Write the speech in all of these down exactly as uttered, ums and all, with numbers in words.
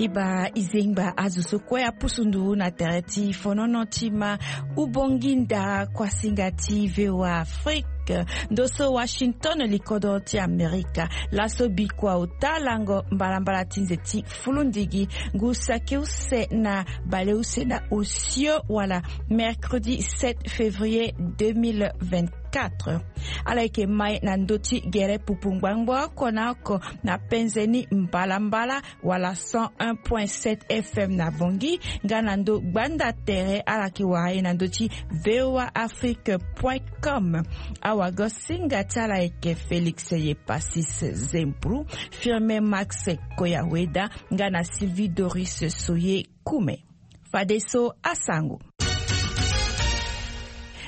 Iba izengba azo so kue apusu nduru na tere ti fonono ti ma. Ubongi ndara kuasinga ti VOA Afrique. Ndo so Washington, likodro ti Amerika. Laso bikua ota lango mbalambala ti nze ti fulundigi. Ngu saki use na baleuse na osio wala mercredi sept février deux mille vingt-quatre. Ala yeke mai na ndö ti gere pupu ngbangbo oko na oko na penze ni mbalambala wala cent un point sept F M na Bangui, nga na ndö gbanda tere ala yeke wara ye na ndö ti V O A Afrique point com. Awagosinga ti ala yeke Félix Yepasis Zempru, Firmin Max Koyaweda, nga na Sylvie Doris Soye Kume. Fadeso asango.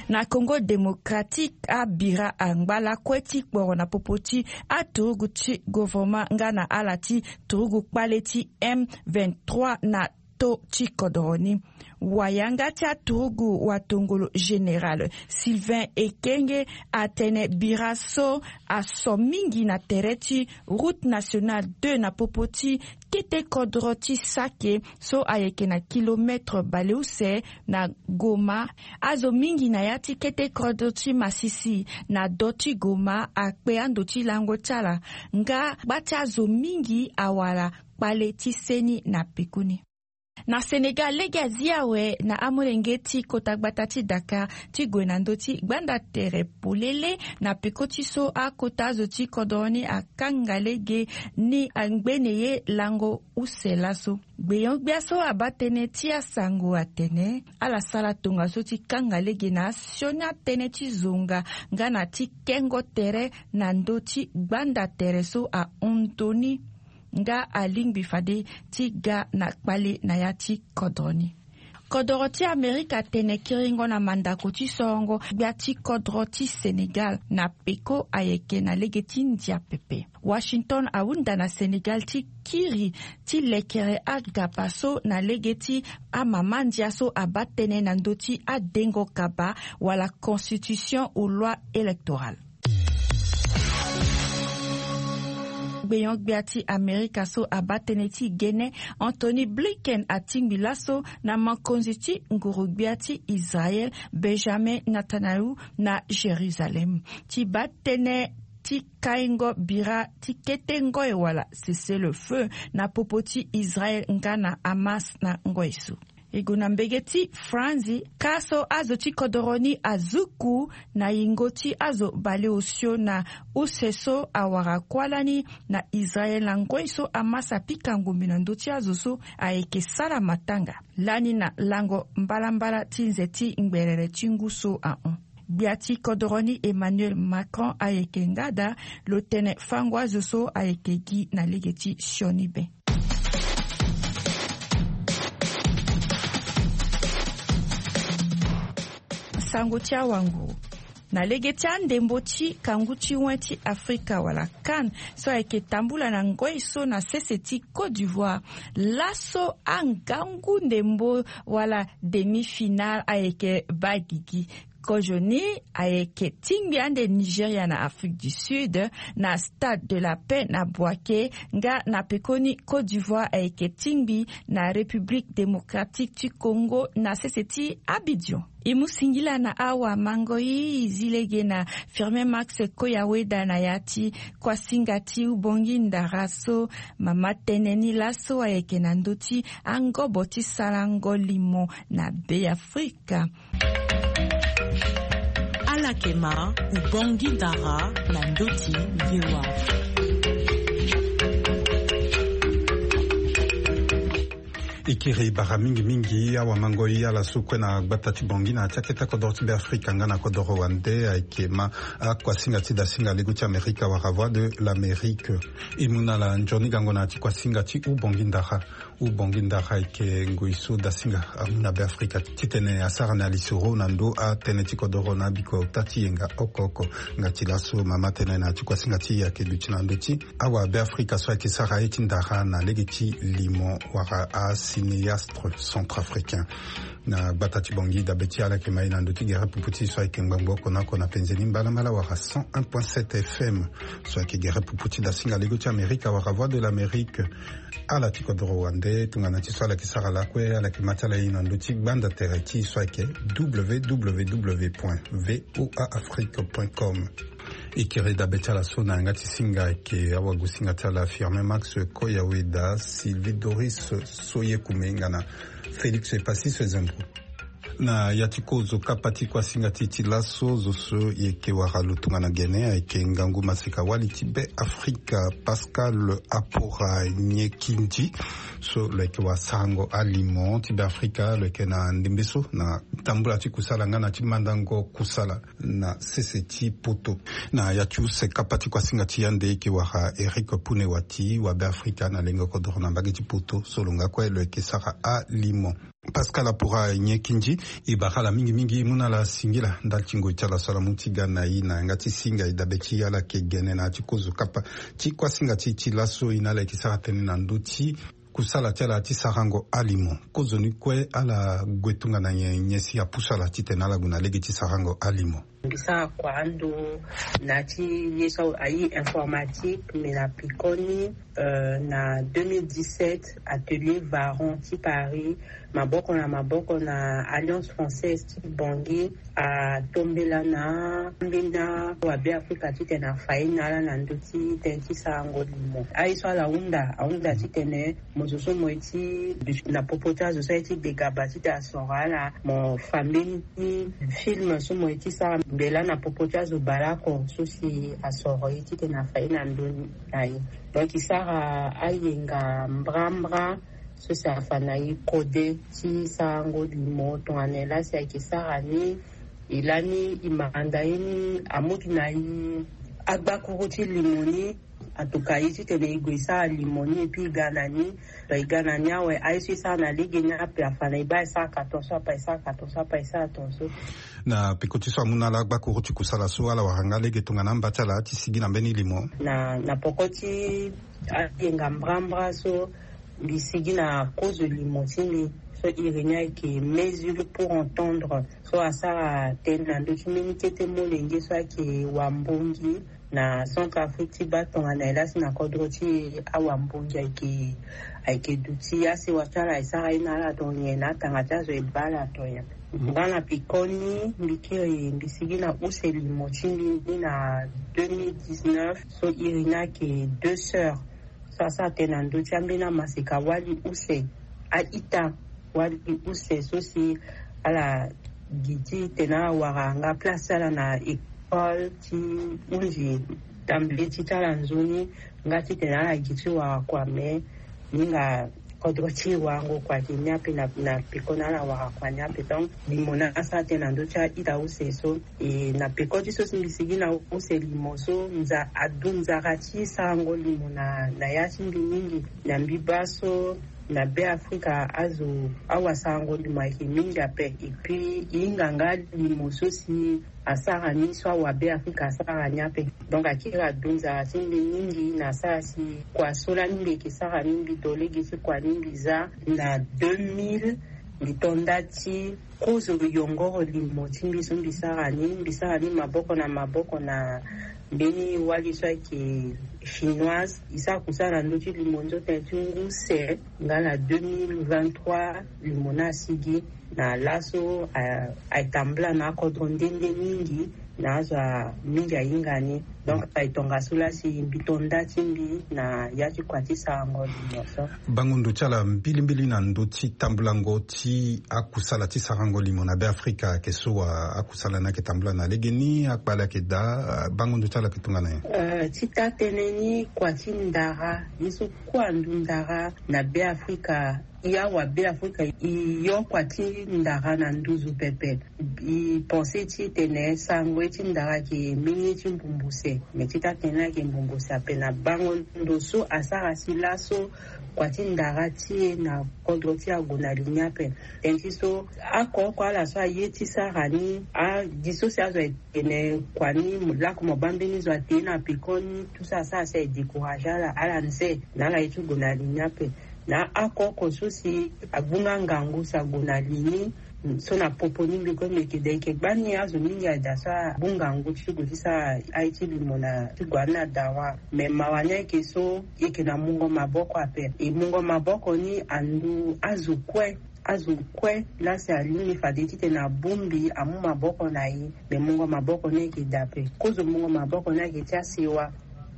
Na Congo Démocratique, abira angba lakue ti kporo na popo ti aturugu ti gouvernement nga na ala ti turugu kpale ti M vingt-trois na to ti kodoro ni. Wayanga ti aturugu watongolo général Sylvain Ekenge atene bira so aso mingi na tere ti route nationale deux na popo ti kete kodro ti Sake so ayeke na kilomètre baleuse na Goma. Azo mingi na ya ti kete kodro ti Masisi na do ti Goma akpe ando ti lango ti ala, nga gba ti azo mingi awara kpale ti seni na pekoni. Na Sénégal, lege azi awe na amolenge ti kota gbata ti Dakar ti gue na ndö ti gbanda tere polele na peko ti so akota azo ti kodro ni akanga lege ni angbene ye lango use laso. Gbeon-gbia so abaa tënë ti asango atene ala sara tongaso ti kanga lege na asioni atënë ti zonga nga na ti kengo tere na ndö ti gbanda tere so ahon ndoni, nga alingbi fade ti ga na kpale na ya ti kodro ni. Kodro ti Amerika atene kiringo na mandako ti sorongo gbia ti kodro ti Sénégal na peko ayeke na lege ti ndia pepe. Washington ahunda na Sénégal ti kiri ti lekere agaba so na lege ti amama ndia so abaa tënë na ndö ti adengo kaba wala constitution ou loi électorale. Gbeon-gbia ti Amerika so abaa tënë ti gene, Antony Blinken, atingbi laso na mokonzi ti nguru-gbia ti Israël, Benjamin Netanyahu, na Jérusalem ti baa tënë ti kaingo bira ti kete ngoi wala cessez-le-feu na popo ti Israël nga na Hamas na ngoi so. E gue na mbege ti Franzi, ka so azo ti kodoro ni azuku na yingo ti azo baleosio na use so awara kuâ lani na Israël na ngoi so Hamas apika ngombe na ndö ti azo so ayeke sara matanga lani na lango mbalambala ti nze ti ngberere ti ngu so ahon. Gbia ti kodoro ni Emmanuel Macron ayeke nga daa lo tene fango azo so ayeke gi na lege ti sioni be. Sango ti awanguru. Na lege ti andembo ti kangu ti wen ti Afrika wala CAN so ayeke tambula na ngoi so na sese ti Côte d'Ivoire, laso angangu ndembo wala demi-finale ayeke baa gigi. Kozoni ayeke tingbi ande Nigeria na Afrique du Sud na Stade de la Paix na Bouaké, nga na pekoni Côte d'Ivoire ayeke tingbi na République Démocratique du Congo na sese ti Abidjan. E mu singila na awamangoi, e zi lege na Firmin Max Koyaweda na ya ti kuasinga ti Ubongi Ndara so mama tene ni laso ayeke na ndö ti angobo ti sarango limo na Beafrika. Ala yeke ma Ubongi Ndara na ndö ti V O A. E kiri bara mingi mingi awamangoi ala so kue na gbata ti Bangui na ya ti akete kodoro ti Beafrika nga na kodoro wande. Ayeke ma akuasinga ti dasinga lego ti Amerika wala Voix de l'Amérique. E mu na ala nzoni gango na ya ti kuasinga ti Ubongi Ndara. Ubongi Ndara ayeke ngoi so dasinga amu na Beafrika titene asara na lisoro na ndö atënë ti kodoro na abiko ota ti yenga oko oko. Nga ti laso mama tene na ya ti kuasinga ti e ayeke duti na ndö ti awa Beafrika so ayeke sara aye ti ndara na lege ti limo wala asi cinéaste centrafricain. Na gbata ti Bangui, dabe ti ala yeke ma e na ndö ti gere pupu ti so ayeke ngbangbo oko na oko na penze ni mbalambala wala cent un point sept F M. So ayeke gere pupu ti dasinga lego ti Amerika wala Voix de l'Amérique. Ala ti kodoro wande tongana ti so ala yeke sara lakue, ala yeke ma ti ala e na ndö ti gbanda tere ti so ayeke www point voa afrique point com. E kiri dabe ti ala so na yanga ti singa ayeke awagosinga ti ala Firmin Max Koyaweda, Sylvie Doris Soyekume nga na Félix Epassis Ezendro. Na ya ti kozo kapa ti kuasinga ti e ti laso, zo so e yeke wara lo tongana gene ayeke ngangu maseka wali ti Be Afrika, Pascal Apora Nyekindji. So lo yeke wasarango alimo ti Be Afrika, lo yeke na ndembe so na tambula ti kusala nga na ti mandango kusala na sese ti poto. Na ya ti use kapa ti kuasinga ti e ande e yeke wara Eric Punewati, wa Be Afrika na lengo kodoro na mbage ti poto, so lo nga kue lo yeke sara alimo. Pascal Apora Nyekindji, e bara ala mingi mingi, e mu na ala singila ndali ti ngoi ti ala so ala mu ti ga na e na yanga ti singa e dabe ti ala yeke gene na ya ti kozo kapa ti kuasinga ti e ti laso. E na ala yeke sara tënë na ndö ti kusala ti ala ti sarango alimo. Kozoni kue ala gue tongana nyen, nyen si apusu ala titene ala gue na lege ti sarango alimo? Mbi sara kua ando na ti ye so aye informatique, mais na pekoni, euh, na deux mille dix-sept, atelier Varon ti Paris, maboko na maboko na Alliance Française ti Bangui, atombela na ambeni awabe Afrika titene afa ye na ala na ndö ti tënë ti sarango limo. Aye so ala hunda, ahunda titene mo zo so mo ye ti na popo ti azo so aye ti begaba titene asoro ala, mo fa mbeni ti film so mo ye ti sara mbela na popo ti azo baleoko so si asoro ye titene afa ye na ndö ni na ye. Donc e sara ayenga mbrambra so si afa na e kode ti sarango limo tongana e laa si ayeke sara ni. E lani e manda ye ni amutu na e agbakuru ti limo ni. Atuka ye titene e gue e sara limo ni, et puis e ga na ni. Donc e ga na ni awe, aye so e sara na lege ni ape, afa na e baa e saraka tongaso, apa e saraka tongaso, apa e sara tongaso. Na peko ti so amu na ala agbakuru ti kusala so, ala wara nga lege tongana amba ti ala ti sigi na mbeni limo? Na, na peko ti ayenga mbrambra so, mbi sigi na kozo limo ti mbi so iri ni ayeke Mesure pour entendre, so asara tënë na ndö ti mbeni kete molenge so ayeke wambongi na Centrafrique ti baa tongana e laa si na kodro ti e awambongi ayeke, ayeke duti asewa ti ala e sara ye na ala tongana nyen, na atanga ti azo e baa ala tongana nyen. Nga na pekoni mbi kiri mbi sigi na use limo ti mbi ni na deux mille dix-neuf, so iri ni ayeke Deux Sœurs. So asara tënë na ndö ti ambeni amaseka wali use, a-ita wali use so si ala gi titene ala wara nga place ti ala na école ti hunzi tambule ti ti ala nzoni, nga titene ala gi ti wara kua, me hinga kodro ti e warango kua ayeke ni ape na, na peko na ala wara kua ni ape. Donc limo ni asara tënë na ndö ti a-ita use so. E na peko ti so si mbi sigi na use limo so, nza, adu nzara ti sarango limo na, na ya ti mbi mingi. Na mbi baa so na Beafrika azo, awasarango limo ayeke mingi ape. Et puis e hinga nga limo so si asara ni so awabeafrika asara ni ape. Donc akiri adu nzara ti mbi mingi na asara si kua so lani mbi yeke sara ni, mbi to lege ti kua ni mbi za. Na deux mille mbi to nda ti kozo yongoro limo ti mbi so mbi sara ni, mbi sara ni maboko na maboko na mbeni wali so ayeke chinoise. E sara kusala na ndö ti limo ni so tënë ti ngu use. Nga na deux mille vingt-trois limo ni asigi. Na laso a, ayeke tambula na akodro nde nde mingi, na azo mingi ahinga ni. Donc ayeke tongaso laa si mbi to nda ti mbi na ya ti kua ti sarango limo so. Bango ndo ti ala mbilimbili na ndö ti tambulango ti akusala ti sarango limo na Beafrika ayeke so wa, akusala ni ayeke tambula na legeni, akpale ayeke daa, bango ndo ti ala ayeke tongana nyen? Euh, ti taa tënë ni, kua ti ndara, ye so kue andu ndara na Beafrika, e awabeafrika e yo kua ti ndara na nduzu pepe. E pense titene sarango ye ti ndara ayeke mbeni ye ti mbumbuse. Me ti taa tënë ni ayeke mbumbuse ape na bango ndo so asara si laso kua ti ndara ti e na kodro ti e ague na li ni ape. Tënë ti so oko oko ala so aye ti sara ni, agi so si azo ayeke tene kua ni, mo lako mo baa mbeni zo ate na pekoni, tout ça, ça, ça e décourager ala, ala nze na ala ye ti gue na li ni ape. Na ako oko so si agbu nga ngangu si ague na li ni. So na popo ni mbi kue mbi yeke da, e yeke gbani azo mingi ayeke da so agbu ngangu ti gue ti sara aye ti limo na ti gue ani na dawa. Me mawa ni ayeke so e yeke na mungo maboko ape. E mungo maboko ni andu azo kue, azo kue laa si alingbi fade titene abongbi amu maboko na e. Me mungo maboko ni ayeke da ape. Kozo mungo maboko ni ayeke ti asewa.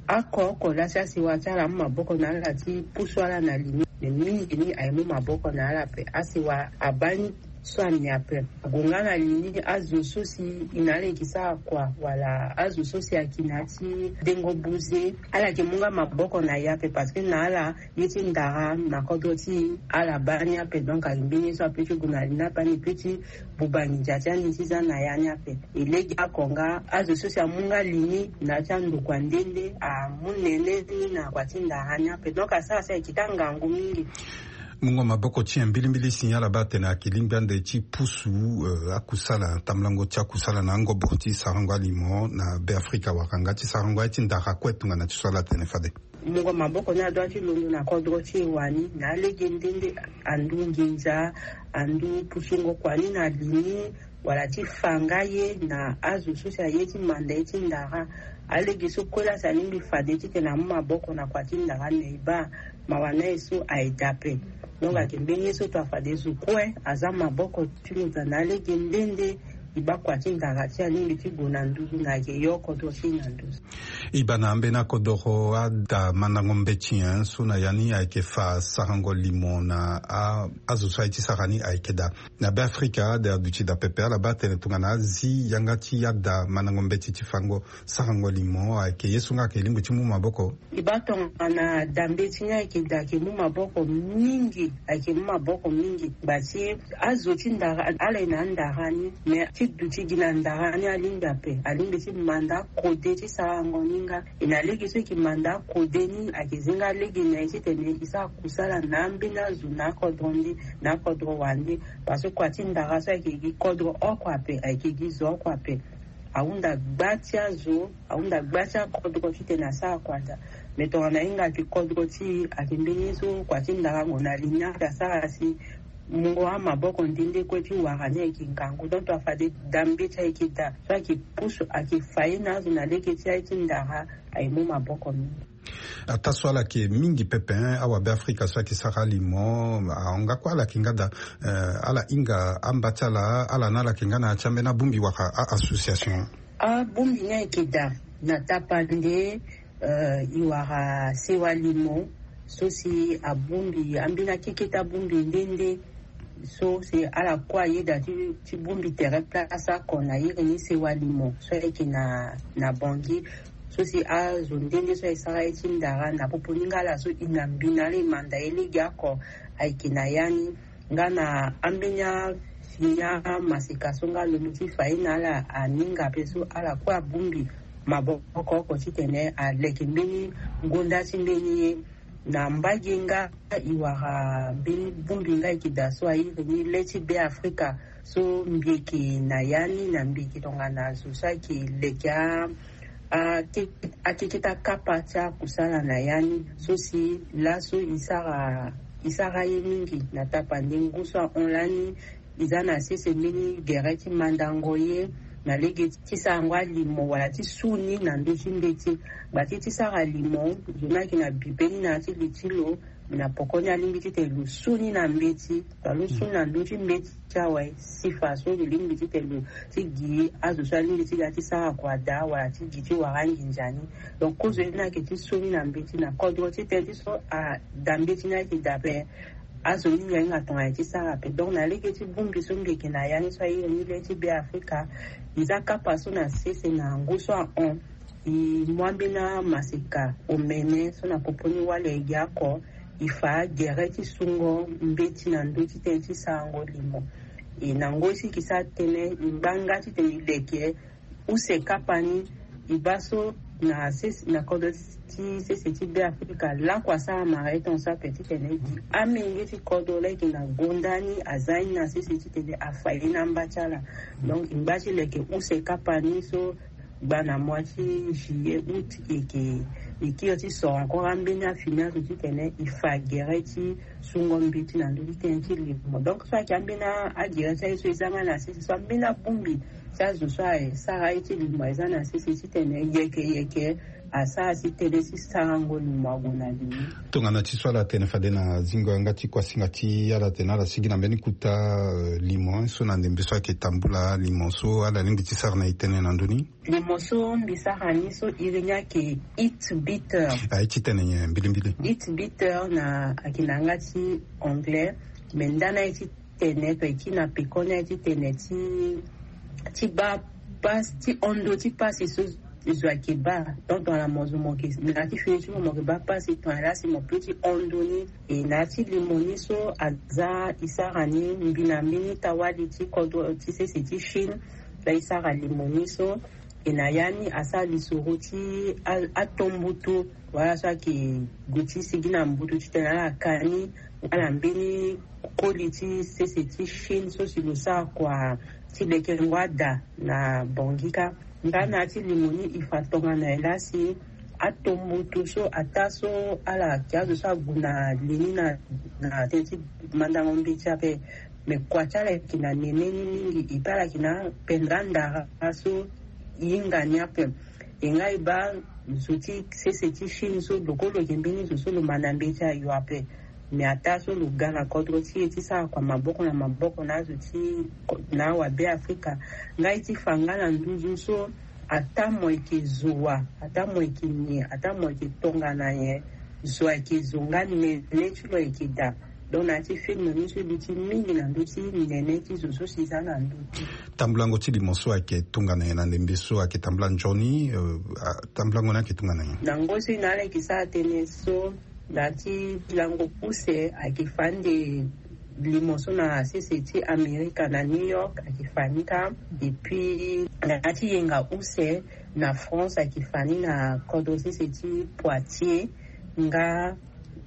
Ako oko laa si asewa ti ala amu maboko na ala ti pusu ala na li ni. Me mingi ni aye mu maboko na ala ape. Asewa abaa ni so amiape. Ague nga na li ni azo so si e na ala e yeke sara kua, wala azo so si ayeke na ya ti dengo buze, ala yeke mu nga maboko na e ape, parce que na ala ye ti ndara na kodro ti e ala baa ni ape. Donc ayeke mbeni ye so ape ti gue na li ni ape, ani peut ti buba nginza ti ani ti za na ya ni ape. E lege oko nga azo so si amu nga li ni na ya ti andokua nde nde amu nene ni na kua ti ndara ni ape. Donc asara si ayeke ti angangu mingi. Mungo maboko ti nyen mbilimbili si ala baa atene ayeke lingbi ande ti pusu, eh, akusala, tambulango ti akusala na angobo ti sarango alimo na Beafrika, wala nga ti sarango aye ti ndara kue tongana ti so ala tene fade? Mungo maboko ni adoit ti londo na kodro ti e wani na alege nde nde, andu nginza, andu pusungo kua ni na li ni, wala ti fa nga ye na azo so si aye ti manda ye ti ndara. Alege so kue laa si alingbi fade titene amu maboko na kua ti ndara, me e baa mawa na e so aye daa ape. Donc ayeke mbeni ye so to afade zo kue aza maboko ti lo daa na alege nde nde. E baa kua ti ndara ti alingbi ti gue na nduzu, na ayeke yo kodro ti e na nduzu. E baa na ambeni akodoro ada mandango mbeti nyen so na ya ni ayeke fa sarango limo na a, azo so aye ti sara ni ayeke daa. Na Beafrika ada aduti daa pepe, ala baa atene tongana azi yanga ti ada mandango mbeti ti fango sarango limo ayeke ye so nga ayeke lingbi ti mu maboko. E baa tongana da mbeti ni ayeke daa, ayeke mu maboko mingi, ayeke mu maboko mingi. Gba ti azo ti ndara, ala ye na andara ni, me ti duti gi na ndara ni alingbi ape, alingbi ti manda akode ti sarango ni nga. E na lege so e yeke manda akode ni ayeke zi nga lege na e titene e sara kusala na ambeni azo na akodro nde na akodro wande. Parce que kua ti ndara so ayeke gi kodro oko ape, ayeke gi zo oko ape. Ahunda gba ti azo, ahunda gba ti akodro titene asara kua daa. Me tongana e hinga ayeke kodro ti e, ayeke mbeni ye so kua ti ndara ague na li ni ayeke asara si mungo amaboko nde nde kue ti wara ni ayeke ngangu. Donc to afade da mbeti ayeke daa so ayeke pusu, ayeke fa ye na azo na lege ti aye ti ndara, aye mu maboko mingi. Ataa so ala yeke mingi pepe, hein, awabeafrika so ayeke sara alimo, ahon nga kue ala yeke nga daa, eh, ala hinga amba ti ala, ala ni ala yeke nga na ya ti ambeni abongbi wala a-association? Abongbi ni ayeke daa na tapande, eh, e wara sewa limo so si abongbi ambeni akeketa bongbi nde nde. So si ala kue ayeda ti, ti bongbi tere place oko na iri ni sewa limo so ayeke na, na Bangui. So si azo nde nde so aye sara ye ti ndara na popo ni nga ala so e na mbi na ala e manda ye lege oko ayeke na ya ni. Nga na ambeni afini amaseka so nga alondo ti fa ye na ala aninga ape so ala kue abongbi maboko oko titene aleke mbeni gonda ti mbeni ye. Na mbage nga e wara mbeni bongbi nga e yeke daa so airi ni le ti Beafrika. So mbi yeke na ya ni na mbi yeke tongana zo so ayeke leke a, a, ke-, akeketa kapa ti akusala na ya ni. So si laso e sara, e sara ye mingi na tapande ngu so ahon lani. E za na sese mbeni gere ti mandango ye na lege ti sarango alimo wala ti su ni na ndö ti mbeti. Gba ti ti sara limo, zo ni ayeke na bi pe ni na ya ti li ti lo, na poko ni alingbi titene lo su ni na mbeti. Tongana lo su ni na ndö ti mbeti ti awe, si fa so lo lingbi titene lo ti gi azo so alingbi ti ga ti sara kua daa wala ti gi ti wara anginza ni. Donc kozo ye ni ayeke ti su ni na mbeti na kodro ti tënë ti so ada mbeti ni ayeke daa ape. Azo mingi ahinga tongana e ti sara ape. Donc na lege ti bongbi so mbi yeke na ya ni so airi ni le ti Beafrika, e za kapa so na sese na ngu so ahon, e mu ambeni amaseka omene so na popo ni wali ayeke gi oko, e fa gere ti sungo mbeti na ndö ti tënë ti sarango limo. E na ngoi so e yeke sara tënë, e ngba nga titene e leke use kapa ni. E baa so na sese, na kodro ti sese ti Beafrika, lakue asara mara ye tongaso ape titene e gi amenge ti kodro laa e yeke na gonda ni aza ye ni na sese titene afa ye na amba ti ala. Donc e ngba ti leke use kapa ni so gba na mois ti juillet, août, e yeke E kiri ti soro encore ambeni afini azo titene e fa gere ti sungo mbi ti na ndö ti tënë ti limo. Donc so ayeke ambeni agere ti aye so e za nga na sese so ambeni abongbi ti azo so aye sara aye ti limo aye za na sese titene yeke yeke asara si tënë ti sarango limo ague na limo. Tongana ti so ala tene fade na zingo yanga ti kuasinga ti ala tene ala sigi na mbeni kuta limo so na ndembe so ayeke tambula limo so ala lingbi ti sara na e tënë na ndö ni. Limo so mbi sara ni so iri ni ayeke eat bitter. Aye ti tene nyen mbilimbili? Eat bitter na ayeke na yanga ti anglais. Me ndani aye ti tene to e kiri na peko ni aye ti tene ti ti baa pasi ti hon ndo ti pasi so zo ayeke baa. Donc tongana mo zo mo yeke na ya ti fini ti mo mo yeke baa pasi tongana laa si mo pe ti hon ndo ni. E na ya ti limo ni so aza e sara ni mbi na mbeni tawali ti kodro ti sese ti Chine. Laa e sara limo ni so e na ya ni asara lisoro ti atombutu wala so ayeke gue ti sigi na mbutu titene ala ka ni. Nga na mbeni koli ti sese ti Chine so si lo sara kua ti lekengo ada na Bangui kâ. Nga na ya ti limo ni e fa tongana nyen laa si atombutu so ataa so ala yeke azo so ague na li ni na tënë ti mandango mbeti ape. Me kua ti ala yeke na nene ni mingi e pe ala yeke na pendra ndara so e hinga ni ape. E nga e baa zo ti sese ti Chine so loko lo yeke mbeni zo so lo ma na mbeti ayo ape. Me ataa so lo ga na kodro ti e ti sara kua maboko na maboko na azo ti na awabe Afrika. Nga e ti fa nga na nduzu so ataa mo yeke zo wa, ataa mo yeke nyen, ataa mo yeke tongana nyen, zo ayeke zo nga nene ti lo ayeke daa. Donc na ya ti film ni so e luti mingi na ndö ti nene ti zo so si za na ndö ti tambulango ti limo so ayeke tongana nyen na ndembe so ayeke tambula nzoni? Tambulango ni ayeke tongana nyen? Na ngoi so e na ala yeke sara tënë so na ya ti lango use ayeke fa ande limo so na sese ti Amerika na New York ayeke fa ni kâ. Et puis na ya ti yenga use na France ayeke fa ni na kodro sese ti Poitiers. Nga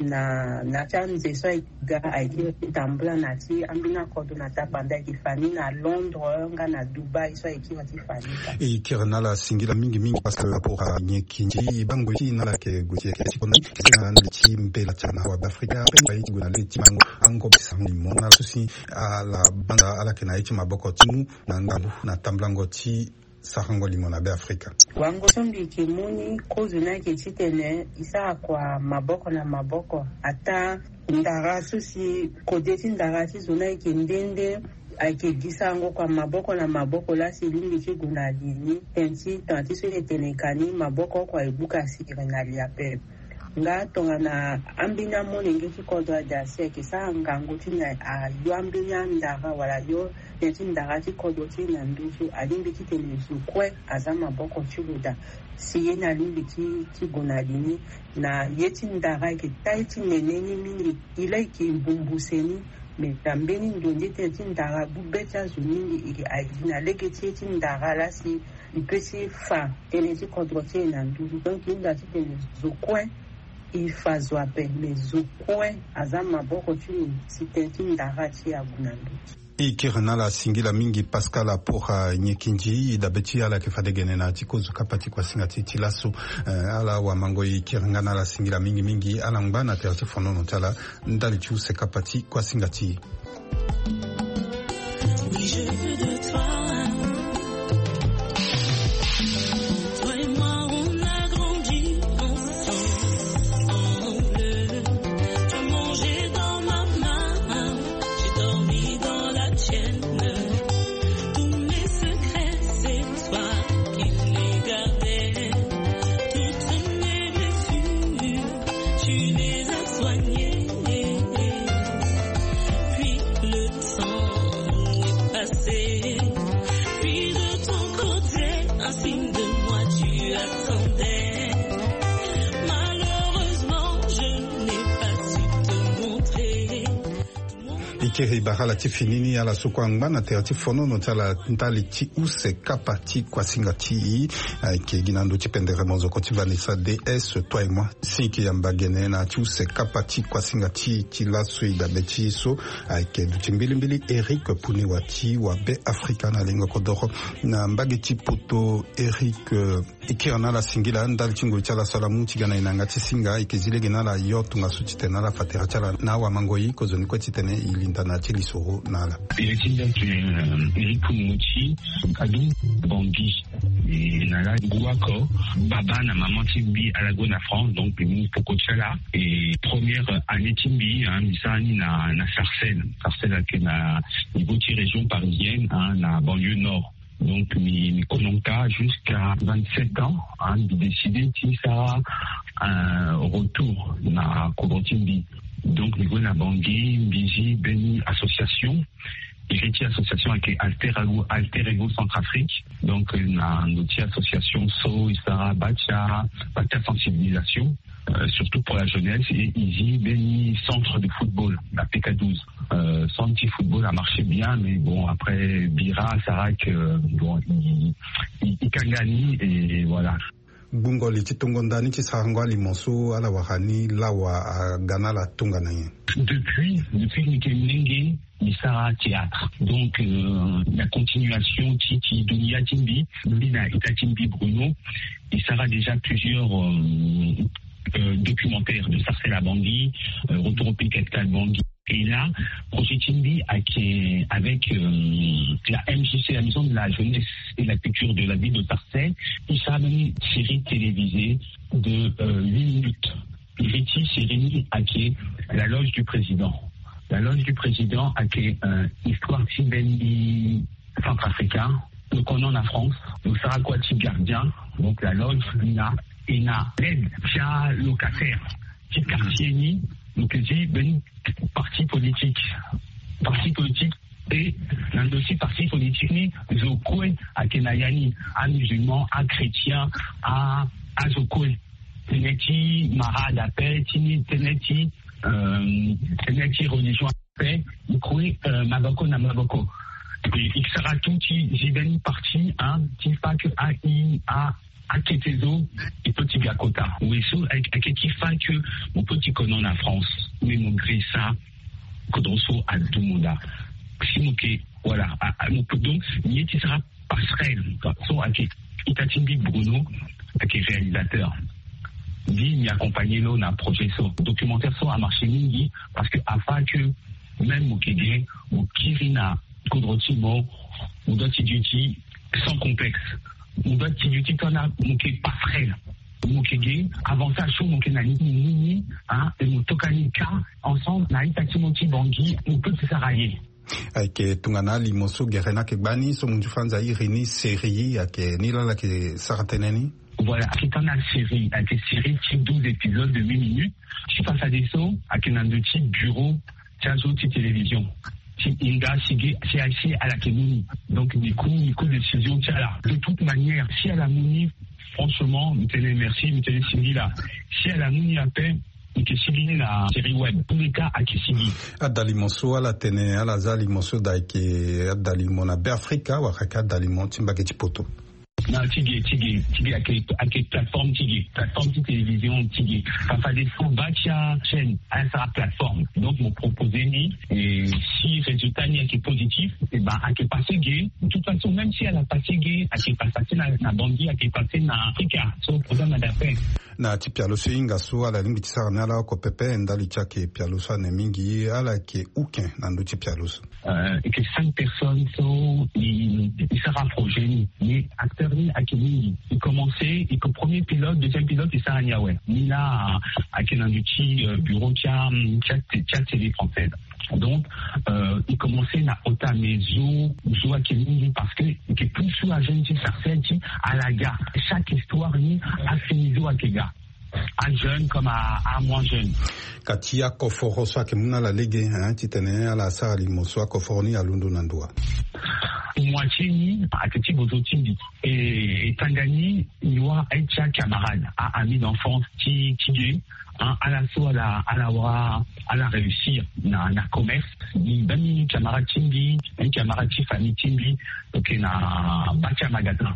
na na ya ti anze so ayeke ga ayeke kiri ti tambula na ya ti ambeni akodro na tapanda ayeke fa ni na Londres nga na Dubaï so ayeke kiri ti fa ni kâ. E kiri na ala singila mingi mingi parce que rapport anyen kinzi e bango ti na ala yeke gue ti yeke ti kona ti na ala ti mbela ti ala na awabe Afrika ape mbi aye ti gue na le ti mango ango ti sango limo na ala so si ala banda ala yeke na ye ti maboko ti mu na ngangu na tambulango ti sarango limo na be Afrika. Wango so mbi yeke mu ni kozo ni ayeke titene e sara kua maboko na maboko. Ataa ndara so si kode ti ndara ti zo ni ayeke nde nde ayeke gi sarango kua maboko na maboko laa si e lingbi ti gue na li ni. Tënë ti tanga ti so e tene ka ni maboko oko aye buka siri na li ape. Nga tongana ambeni amolenge ti kodro ade asi ayeke sara ngangu ti na ayo ambeni andara wala ayo tënë ti ndara ti kodro ti e na nduzu alingbi titene zo kue aza maboko ti lo daa. Si ye ni alingbi ti ti gue na li ni na ye ti ndara ayeke taa ye ti nene ni mingi. E laa e yeke bumbuse ni. Me na mbeni ndo nde tënë ti ndara gbu be ti azo mingi e yeke aye gi na lege ti ye ti ndara laa si e pe ti fa tënë ti kodro ti e na nduzu. Donc e hunda titene zo kue e fa zo ape me zo kue aza maboko ti lo si tënë ti ndara ti e ague na nduzu. E kiri na ala singila mingi Pascal Apora Nyekindji. E dabe ti ala yeke fade gene na ya ti kozo kapa ti kuasinga ti e ti laso. Eh, ala wamango e kiri nga na ala singila mingi mingi. Ala ngba na tere ti fonono ti ala ndali ti use kapa ti kuasinga ti e. Oui, je veux de toi. Toi et moi, on a grandi ensemble. Tu as mangé dans ma main, j'ai dormi dans la tienne. Tous mes secrets, c'est toi qui les gardais. Toutes mes blessures, tu les as soignées. Puis le temps est passé. Puis de ton côté, un signe de moi tu attendais. Malheureusement, je n'ai pas su te montrer. E Kiri bara ala ti fini ni ala so kue angba na tere ti fonono ti ala ndali ti use kapa ti kuasinga ti i. Ayeke gi na ndö ti pendere mozoko ti Vanessa D S toi et moi. Si i yeke yamba gene na ya ti use kapa ti kuasinga ti i ti laso i dabe ti i so, ayeke duti mbilimbili Eric Puniwa ti Wabe Afrika na lingo kodoro. Na mbage ti poto, Eric, eh, e kiri na ala singila ndali ti ngoi ti ala so ala mu ti ga na e na yanga ti singa. E yeke zi lege na ala yo tongaso titene ala fa tere ti ala na awamangoi kozoni kue titene e linda na ya ti lisoro na ala. Iri ti nda ti, eh, iri ti mo ti adu Bangui. E na la ngu oko baba na maman ti mbi ala gue na France, donc mbi mu poko ti ala. E première année ti mbi, hein, mbi sara ni na, na Sarcelles. Sarcelles ayeke na niveau ti région parisienne, hein, na banlieue nord. Donc mbi, mbi kono nga jusqu'à vingt-sept ans, hein, mbi décidé ti sara un retour na kodro ti mbi. Donc mbi gue na Bangui, mbi zi mbeni association. Iri ti association ayeke Alter Ego, Alter Ego Centrafrique. Donc, euh, na ndö ti association so e sara batia, batia sensibilisation, euh, surtout pour la jeunesse, et e zi mbeni centre de football na P K douze. Euh, centre ti football a marché bien, mais bon, après, bira asara que, bon, e, e, e kanga ni, et voilà. Gbungo li ti tongo nda ni ti sarango alimo so ala wara ni, lawa aga na ala tongana nyen? Depuis, depuis mbi yeke molenge, mbi sara théâtre. Donc, euh, na continuation ti, ti dunia ti mbi, mbi na ita ti mbi Bruno, mbi sara déjà plusieurs, euh, euh, documentaires de Sarcelles à Bangui, euh, Retour au pays capital Bangui. Et là, projet ti mbi ayeke avec, euh, la M J C, la Maison de la Jeunesse et la Culture de la ville de Sarcelles, mbi sara une série télévisée de, euh, huit minutes. Iri ti série ni ayeke La Loge du Président. La Loge du Président ayeke, euh, histoire ti mbeni centrafricain. Lo kono na France, lo sara kua ti gardien. Donc la loge ni na, e na l'aide ti alocataire ti quartier ni. Lo yeke zi mbeni parti politique. Parti politique, e na ndö ti parti politique ni, zo kue ayeke na ya ni, amusulman, achrétien, a, azo kue. Tënë ti marade ape, ti ni tënë ti, euh, tënë ti religion ape, e kue, euh, maboko na maboko. E, e sara tout ti zi mbeni parti, hein, ti fa que a, i, a, akete zo, e peut ti ga kota. We so, ayeke, ayeke ti fa que mo peut ti kono na France, mais mo grisa kodro so adumu nda. Si mo yeke, voilà, a, a, mo peut, donc, ni ye ti sara passerelle so ayeke ita ti mbi Bruno, ayeke réalisateur. Mbi, mbi accompagné lo na projet so. Documentaire so amarché mingi, parce que afa que même mo yeke ge, mo kiri na kodro ti mo, mo doit ti duti sans complexe. Mo doit ti duti tongana mo yeke passerelle. Mo yeke ge, avantage so mo yeke na ni, mo mu ni, hein, e mo toka ni ka ensemble na ita ti mo ti Bangui, mo peut ti sara ye. Ayeke tongana alimo so gere ni ayeke gbani so mo nzu fanza iri ni série, ayeke ni laa ala yeke sara tënë ni. Voilà, ayeke tanga série, ayeke série ti douze épisodes de huit minutes. Ti fadeso ayeke na ndö ti bureau ti azo ti télévision. Ti hinga si ge, si, si ala yeke mu ni. Donc mbi ku, mbi ku décision ti ala. De toute manière, si ala mu ni, franchement, mbi tene merci, mbi tene singila. Si ala mu ni ape, mbi yeke sigi ni na série web. Tous les cas, ayeke sigi. Adalimo so ala tene ala za alimo so daa ayeke adalimo na Beafrika wala ayeke adalimo ti mbage ti poto? Non, ti ge, ti ge, ti ge, ayeke, ayeke plateforme ti ge, plateforme ti télévision ti ge. Fa, fadeso bâ ti achaîne, asara plateforme. Donc mo proposé ni, et si résultat ni ayeke positif, e ben ayeke passé ge. De toute façon, même si ala passé ge, ayeke passé na, na Bangui, ayeke passé na Afrika. So problème a da pe. Na ti pialo so e hinga so ala lingbi ti sara ni ala oko pepe ndali ti ayeke pialo so ane mingi, ala yeke uke na ndö ti pialo so? Euh, e yeke cinq personnes so e, e sara projet ni. Mais acteur ni ayeke mingi. E commencé, e yeke premier pilote, deuxième pilote e sara ni awe. Ni laa ayeke na ndö ti, euh, bureau ti a, ti a, ti a télé française. Donc, euh, e commencé na ota, mais zo, zo ayeke mingi parce que e yeke plus sur ajeune ti Sarcelles ti ala ga. Chaque histoire ni afini zo ayeke ga. Ajeune comme a, a moins jeune. Ka ti akoforo so ayeke mu na ala lege, hein, titene ala sara limo so, akoforo ni alondo na ndo wa? Moitié ni ayeke ti bozo ti mbi. E, e tanga ni, ni Awa aye ti acamarade, a-ami d'enfance ti ti ye. Ala so ala ala wara ala réussir na na commerce. Ni mbeni camarade ti mbi, mbeni camarade ti famille ti mbi, lo yeke na ba ti amagasin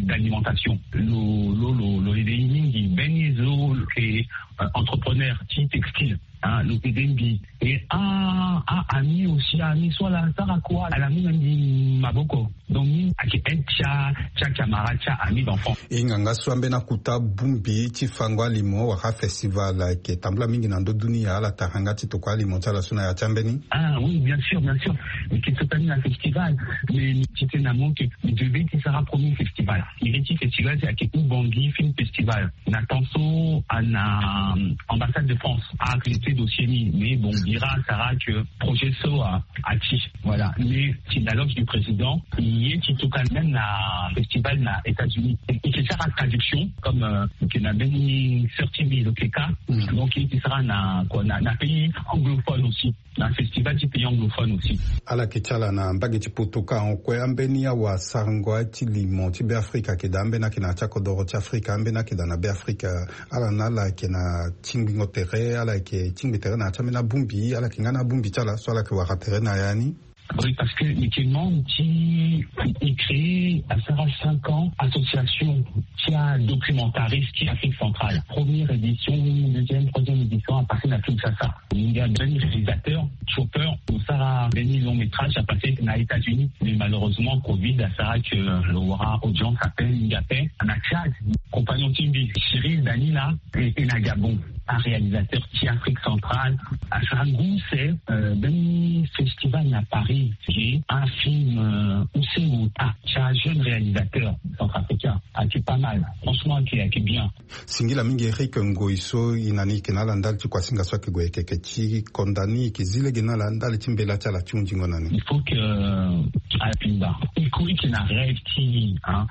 d'alimentation. Lo lo lo lo ede ye mingi. Mbeni ye so lo yeke entrepreneur ti textile, lo ede mbi. E a a-ami aussi, a-ami so ala sara kua ala mu na mbi maboko. Donc ni ayeke un ti a ti acamarade ti a-ami d'enfant. E nganga so ambeni akuta bongbi ti fango alimo wala festival ayeke tambula mingi na ndö dunia. Ala tara yanga ti tokua alimo ti ala so na ya ti ambeni. Ah oui, bien sûr, bien sûr. Mbi yeke so kani na festival, mais mbi titene na mo ke mbi devait ti sara premier festival. Iri ti festival si ayeke Oubangi Film Festival. Na temps so ana ambassade de France a accepté dossier ni, mais bon, bira asara que projet so a ati. Voilà. Mais ti la loge du président, ye ti tokua même na festival na États-Unis. E ti sara traduction comme ke na mbeni sœur ti mbi lo yeke ka. Donc ye ti sara na kua na pays anglophone aussi. Na festival ti pays anglophone aussi. Ala yeke ti ala na mbage ti poto ka. Kue ambeni awasarango ti limo ti Beafrika ayeke daa, ambeni ayeke na ya ti akodoro ti Afrika, ambeni ayeke daa na Beafrika. Ala na ala ayeke na tingbingo tere, ala yeke tingbi tere na ya ti ambeni abongbi, ala yeke nga na abongbi ti ala so ala yeke wara tere na ya ni. Oui, parce que mbi yeke membre ti, mbi créé asara cinq ans association ti adocumentariste ti Afrique centrale. Première édition, deuxième, troisième édition a passé na Kinshasa. Mbi ga mbeni réalisateur Chopper, lo sara mbeni long métrage a passé na États-Unis. Mais malheureusement covid asara que lo wara audience ape mingi ape. Na Tchad, compagnon ti mbi Cyril Danila, e na Gabon, aréalisateur ti Afrique centrale. Asara ngu use mbeni festival na Paris, ye un film use ota ti ajeune réalisateur centrafricain. Ayeke pas mal, franchement ayeke ayeke bien. Singila mingi Eric, ngoi so e na ni e yeke na ala ndali ti kuasinga so ayeke gue yeke yeke ti konda ni, e yeke zi lege na ala ndali ti mbela ti ala ti hunzingo na ni. Il faut que ala pimba. E kue e yeke na rêve ti e, hein,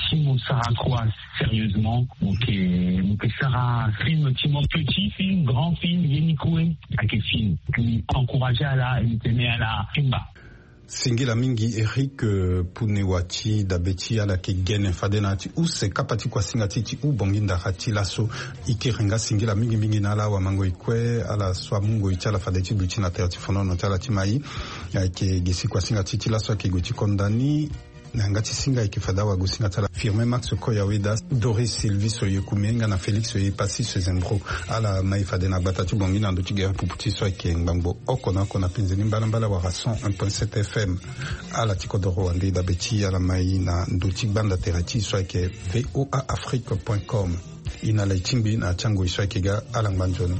si mo sara kua sérieusement, mo yeke mo yeke sara film ti mo, petit film, grand film, ye ni kue ayeke film. Mbi encouragé ala, mbi tene ala pimba. Singila mingi Eric, pune wa ti dabe ti ala yeke gene fade na ya ti use kapa ti kuasinga ti ti hubongi ndara ti laso. E kiri nga singila mingi mingi na ala awamangoi kue ala so amu ngoi ti ala fade ti duti na tere ti fonono ti ala ti mai. Ayeke gi si kuasinga ti ti laso ayeke gue ti konda ni. Na yanga ti singa ayeke fade awagosinga ti ala Firmin Max Koyaweda, Doris Sylvie Soyekumi nga na Félix Oyepassi Sezembro. Ala mai fade na gbata ti Bangui na ndö ti gere pupu ti so ayeke ngbangbo oko na oko na penze ni mbalambala wala cent un point sept F M. Ala ti kodoro wande dabe ti ala mai na ndö ti gbanda tere ti so ayeke V O A Afrique point com. E na ala e tingbi na ya ti angoi so ayeke ga. Ala ngba nzoni.